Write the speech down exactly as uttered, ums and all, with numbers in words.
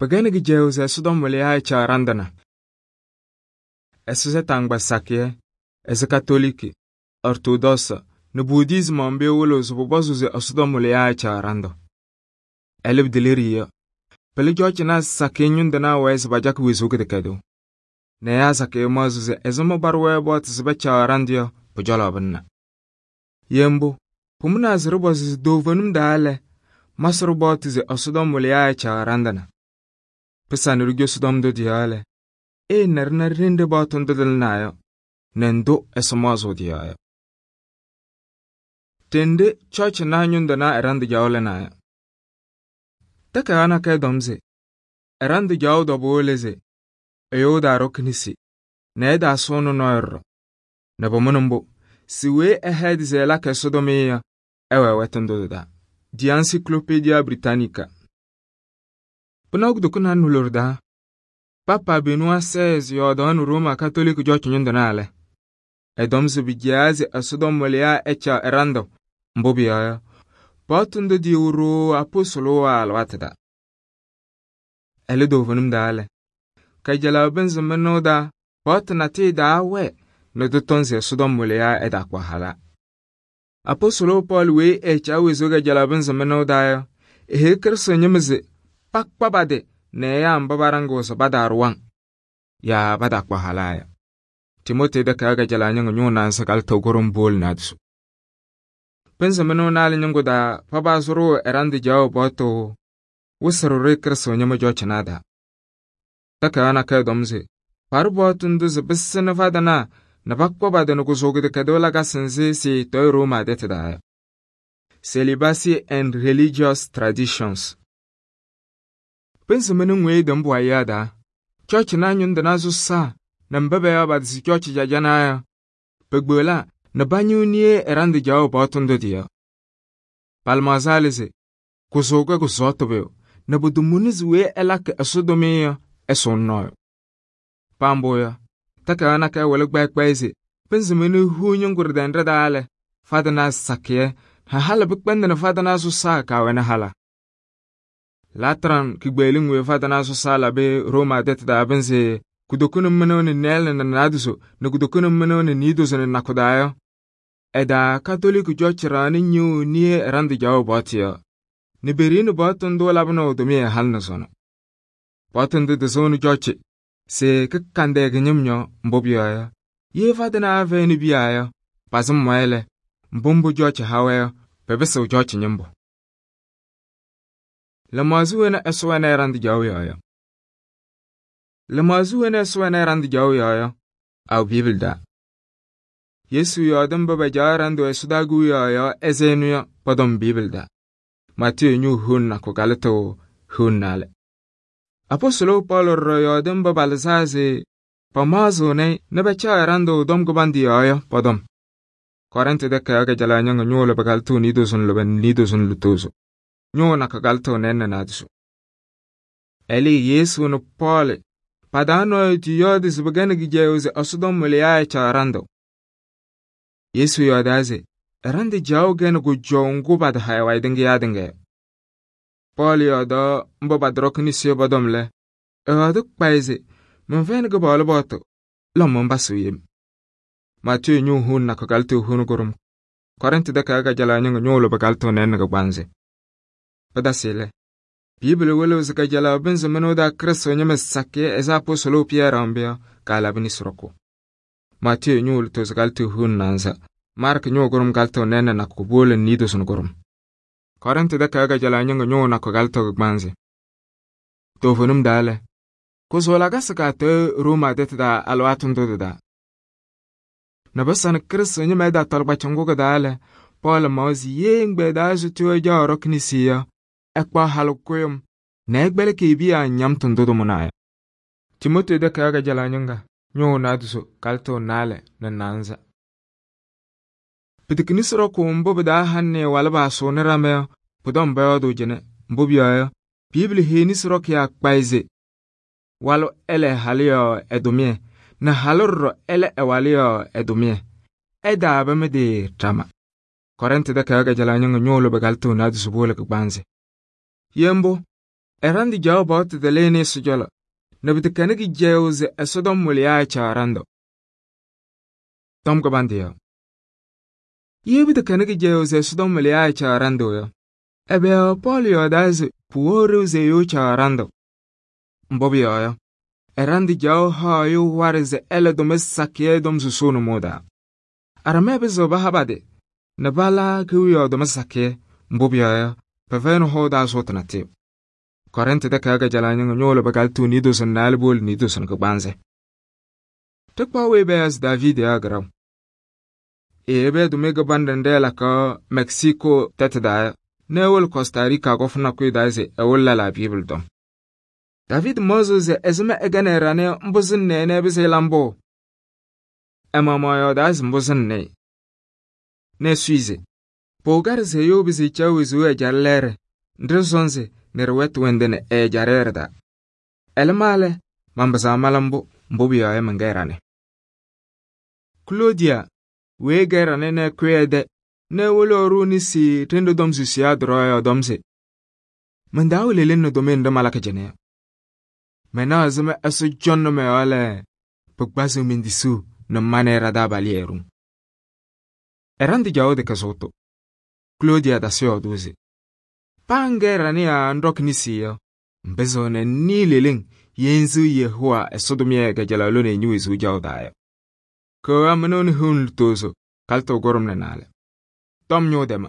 Pagani gijeu se Sodom waliya echa randana. Ese tangba sakye, ese katoliki, ortodossa, ne budism ambe wolo so bobozu se Sodom waliya echa rando. Elib deliriya. Pele George na sakye nyundana wese bajak wisu kedekedo. Ne ya sakye mazu se ese mabarwe bot se becha randio pujala banna. Yembo, pumuna zirbo se dovanum daale, masru bot se Sodom waliya echa randana. Pesa nirugyo Sodom do diale. E narna rinde botun do nayo. Nendo esmazo diayo. Tende church na nyundana erand jawle nayo. Taka ana kay domze. Erand jaw do boleze. Eyo da roknisi. Ne da sono noyro. Ne bomonumbo. Siwe ahead ze la ke Sodomia. Ewe wetundo da. Di Encyclopedia Britannica. Punog dukuna nulurda. Papa Benoit seize yodon Roma Catholic Church nyundana. Edomze bijaze Sodom waliya echa erando. Mbobiya. Potundo di uro apostolo alwatada. Ele dovanum dale. Kajala benzo menoda. Potna ti da we. No dutonze Sodom waliya eda kwa hala. Apostolo Paul we echa wezoga jala benzo menoda. Ehe kerso nyemze. Pak pabade. Ne ya mbabarango so badarwang. Ya bada kwa halaya. Timote da kaga jala nyang nyona sakal togorum bol nadsu. Pensa meno nal nyango da pabazuru erandi jaw boto. Wusru rekerso nyama jochnada. Taka ana kay domze. Par botun duze bisene fadana. Na pak pabade no kuzogi de kadola gasenze si toy Roma deteda. Celibacy and religious traditions. Pensa meno ngwe dambu ayada. Church na nyunda zusa. Na mbebe ya badisi church jajana. Pegbola. Na banyu niye erandi jaw botun do diya. Palmazalize. Kusoga kusoto beo. Na budumuniz we elak Sodomia esonnoyo. Pamboya. Taka ana kay wala gbay kbayze. Pensa meno hu nyungur dendre dale. Fadana sakye. Ha hala bukbende na fadana zusa kawena hala. Latran kigbeling we fadana so sala be Roma det da benze kudokunum menone nel na naduso na kudokunum menone nidos na nakodayo eda Catholic Church rani nyu nie rand jaw botia ne berin boton do labno do me halna sono boton de zone Church se kakande gnyumnyo mbobya ye fadana ave ni biya pasum maile mbombo Church hawe bebeso Church nyimbo. La mazuena eswana rand jaw yaya. La mazuena eswana rand jaw yaya. Au Bibelda. Yesu yadam baba jarando esudagu yaya ezenuya padom Bibelda. Matthew nyu hunna ko galato hunnale. Apostolo Paul ro yadam baba lazaze pamazone nebecha rando dom gobandi yaya padom. Korante de kaga jalanya nyolo bagaltu nidosun loben nidosun lutoso. Nyona kagalto nenne nadsu. Eli Yesu no Paul. Padano ti yodis bagane gijeuze Sodom waliya echa rando. Yesu yodaze. Rande jaw gen go jongo bad haywa idenge yadenge. Paul yoda mbo badrok ni siyo badomle. Ewaduk paize. Mwen go balo boto. Lomon basu yim. Matthew nyu hun na kagalto hun gorum. Korente de kaga jala nyongo nyolo bagalto nenne go banze. Padasile. Bibele wele zaka jala benzo menoda Kristo nyame sakye eza apostolo Pierre ambia kala bini suroko. Matthew nyul to zagalto hun nanza. Mark nyo gorum galto nene na kubole nido sun gorum. Korente de kaga jala nyongo nyo na kogalto gbanze. Tofunum dale. Kuzola gasaka te Roma detda alwatun dodda. Nabasan Kristo nyame da talba changoga dale. Paul mauzi yeng beda zutu ja roknisia. Ekpa halukuyum. Na ekbele kibiya nyam tundodo munaya. Timote de kaga jala nyonga. Nyo naduso kalto nale na nanza. Pitiknisro ko mbobe da hanne walaba so ne rame pudom bayo do jene mbobiya. Bibli henisro kya kpaize. Walo ele halio edomie. Na haloro ele ewalio edomie. Eda abemede trama. Korente de kaga jala nyonga nyolo begalto naduso bole kbanze. Yembo, ɛrandɩ jaɣ paɣtʋ tɩlɩnɩ Ɛsɔ cɔlɔ nɛ pɩtɛkɛnɩ kɩcɛyʋʋ se Ɛsɔtɔm wɩlɩyaa ɛcaɣ ɖandʋ. Tɔm kɩbandʋ yɔ. Ye pɩtɛkɛnɩ kɩcɛyʋʋ se Ɛsɔtɔm wɩlɩyaa ɛcaɣ ɖandʋ yɔ, ɛbɛ yɔɔ Pɔɔlɩ yɔɔdaa se pʋwɛɣ ɖeu se ɛyʋ ɛcaɣ ɖandʋ? Mbʋ pʋyɔɔ yɔ, ɛrandɩ jaɣ haɣ ɛyʋ waɖɛ se ɛla tʋmɩyɛ sakɩyɛ ɛ-tɔm susuu nʋmɔʋ taa. Aramɛɛ pɩzɩɣ paha pa-tɩ nɛ pala kewiyaɣ tʋmɩyɛ sakɩyɛ, mbʋ pʋyɔɔ yɔ, pɛfɛyɩnɩ hɔʋ taa sʋʋtʋ natʋyʋ. Kɔrɩntɩ takayaɣ kajalaɣ ñɩŋga ñʋʋlɩ pɩkalɩtʋ niidozo naalɛ powolo niidozo kɩgbaanzɩ. Ɖɩkpaɣ weyi payaɣ se Daviidi yɔ kɩɖaɣ. Eyebi tʋmɩyɛ kɩbanɖɛ nɖɩ ɛlakaɣ Mɛksikoo tɛtʋ taa yɔ nɛ ewolo Kɔstarika kɔfʋ nakʋyʋ taa se ɛwɩlɩ lɛlaa Biibli tɔm. Daviidi maɣzɩɣ se ɛzɩma ɛkɛnɩ ɛɖanɩ mbʋ sɩnɩ-ɩ nɛ ɛpɩzɩ ɛla mbʋ. Ɛ-maɣmaɣ yɔɔdaa se mbʋ sɩnɩnɩ-ɩ nɛ ɛsʋɩ se pʋwɛ kaɖɛ se ɛyʋ ɛpɩzɩ ɛcaɣ wezuu ɛjaɖɛ lɛɛɖɛ nɖɩ ɖɩsɔnzɩ nɛ ɖɩwɛtʋ wɛndɩ nɛ ɛ-ɛjaɖɛ ɖɩ-taa. Ɛlɛ ma lɛ, manpɩzɩɣ mala mbʋ, mbʋ pʋyɔɔ yɔ mɛnkɛ ɛɖanɩ. Kloodiya weyi ɛkɛ ɛɖanɩ nɛ ɛkʋyɛ ɛ-tɛ nɛ ewolo ɛɖʋʋ nesi ɖenɖe tɔm susiyaa ɖɩɖɔɔ yɔ tɔm se: man-taa wɛ leleŋ nɛ tʋmɩyɛ nɖɩ malakɩ cɩnɛ yɔ. Mɛnaɣ ɛzɩma Ɛsɔ cɔŋnɩ mɔ-yɔɔ lɛ pɩkpazɩɣ men-tisuu nɛ ma nɛ ɩ ɖa-taabalʋ yɛɛ-ɖʋŋ. Ɛrandɩ jaɣʋ tɩkɛ sʋʋtʋ. Kloodiya tasɩ yɔɔdʋʋ se: paa ŋkɛ ɛɖanɩ yaa ŋɖɔkɩ nesi yɔ, ŋpɩzɩɣnɩ ŋnɩɩ leleŋ ye ŋsɩɣ Yehowa Ɛsɔ tʋmɩyɛ kajalaɣ lone ñe-wezuu jaɣʋ taa yɔ. Kɛwɛɛ mɩnʋʋ nɛ hiu nɛ lutozo kalɩtʋ kʋɖʋm nɛ naalɛ. Tɔm ñʋʋ tɛma.